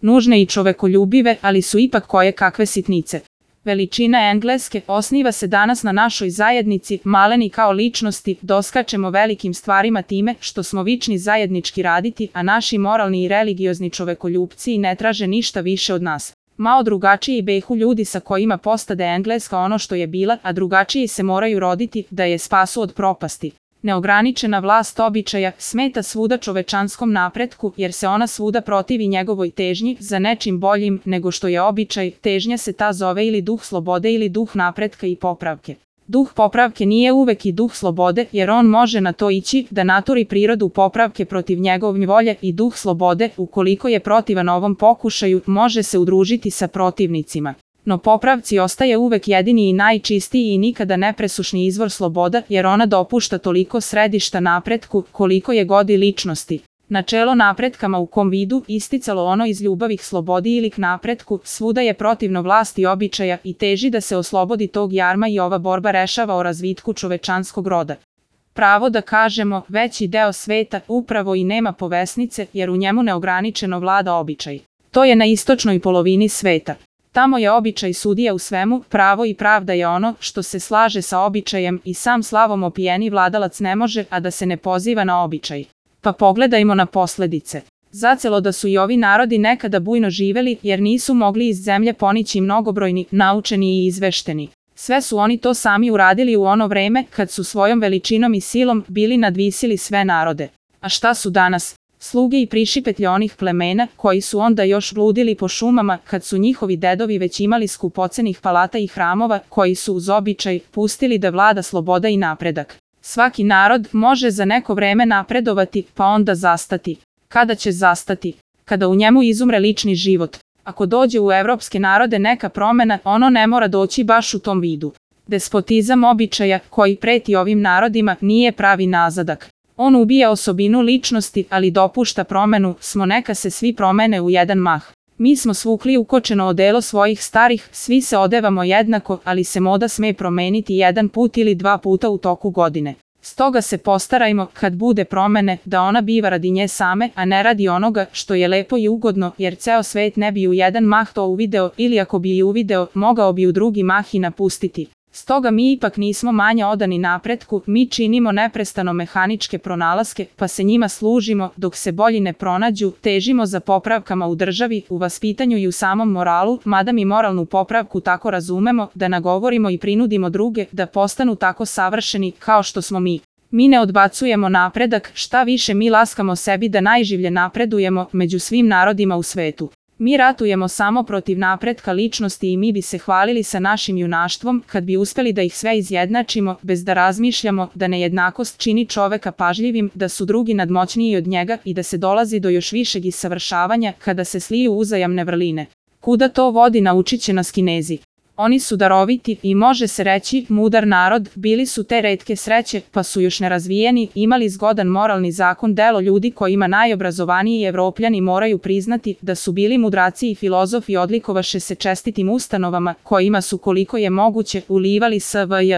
nužne i čovekoljubive, ali su ipak koje kakve sitnice. Veličina Engleske osniva se danas na našoj zajednici, maleni kao ličnosti, doskačemo velikim stvarima time što smo vični zajednički raditi, a naši moralni i religiozni čovekoljupci ne traže ništa više od nas. Malo drugačiji behu ljudi sa kojima postade Engleska ono što je bila, a drugačiji se moraju roditi da je spasu od propasti. Neograničena vlast običaja smeta svuda čovečanskom napretku jer se ona svuda protivi njegovoj težnji za nečim boljim nego što je običaj, težnja se ta zove ili duh slobode ili duh napretka i popravke. Duh popravke nije uvek i duh slobode jer on može na to ići da naturi prirodu popravke protiv njegove volje i duh slobode, ukoliko je protivan ovom pokušaju, može se udružiti sa protivnicima. No popravci ostaje uvek jedini i najčistiji i nikada nepresušni izvor sloboda jer ona dopušta toliko središta napretku koliko je godi ličnosti. Načelo napretkama u kom vidu isticalo ono iz ljubavih slobodi ili k napretku, svuda je protivno vlasti običaja i teži da se oslobodi tog jarma i ova borba rešava o razvitku čovečanskog roda. Pravo da kažemo, veći deo sveta upravo i nema povesnice jer u njemu neograničeno vlada običaj. To je na istočnoj polovini sveta. Tamo je običaj sudija u svemu, pravo i pravda je ono što se slaže sa običajem i sam slavom opijeni vladalac ne može, a da se ne poziva na običaj. Pa pogledajmo na posledice. Zacelo da su i ovi narodi nekada bujno živeli jer nisu mogli iz zemlje ponići mnogobrojni, naučeni i izvešteni. Sve su oni to sami uradili u ono vreme kad su svojom veličinom i silom bili nadvisili sve narode. A šta su danas? Sluge i prišipetlje onih plemena koji su onda još bludili po šumama kad su njihovi dedovi već imali skupocenih palata i hramova koji su uz običaj pustili da vlada sloboda i napredak. Svaki narod može za neko vreme napredovati pa onda zastati. Kada će zastati? Kada u njemu izumre lični život. Ako dođe u evropske narode neka promena, ono ne mora doći baš u tom vidu. Despotizam običaja koji preti ovim narodima nije pravi nazadak. On ubija osobinu ličnosti, ali dopušta promenu, smo neka se svi promene u jedan mah. Mi smo svukli ukočeno odelo svojih starih, svi se odevamo jednako, ali se moda sme promeniti jedan put ili dva puta u toku godine. Stoga se postarajmo, kad bude promene, da ona biva radi nje same, a ne radi onoga što je lepo i ugodno, jer ceo svet ne bi u jedan mah to uvideo ili ako bi i uvideo, mogao bi u drugi mah i napustiti. Stoga mi ipak nismo manje odani napretku, mi činimo neprestano mehaničke pronalaske, pa se njima služimo, dok se bolji ne pronađu, težimo za popravkama u državi, u vaspitanju i u samom moralu, mada mi moralnu popravku tako razumemo, da nagovorimo i prinudimo druge da postanu tako savršeni kao što smo mi. Mi ne odbacujemo napredak, šta više mi laskamo sebi da najživlje napredujemo među svim narodima u svetu. Mi ratujemo samo protiv napretka ličnosti i mi bi se hvalili sa našim junaštvom kad bi uspeli da ih sve izjednačimo, bez da razmišljamo da nejednakost čini čoveka pažljivim, da su drugi nadmoćniji od njega i da se dolazi do još višeg savršavanja kada se sliju uzajamne vrline. Kuda to vodi naučit će nas Kinezi. Oni su daroviti i može se reći mudar narod, bili su te retke sreće, pa su još nerazvijeni, imali zgodan moralni zakon, delo ljudi kojima najobrazovaniji Evropljani moraju priznati da su bili mudraci i filozofi, odlikovaše se čestitim ustanovama kojima su koliko je moguće ulivali SVJ.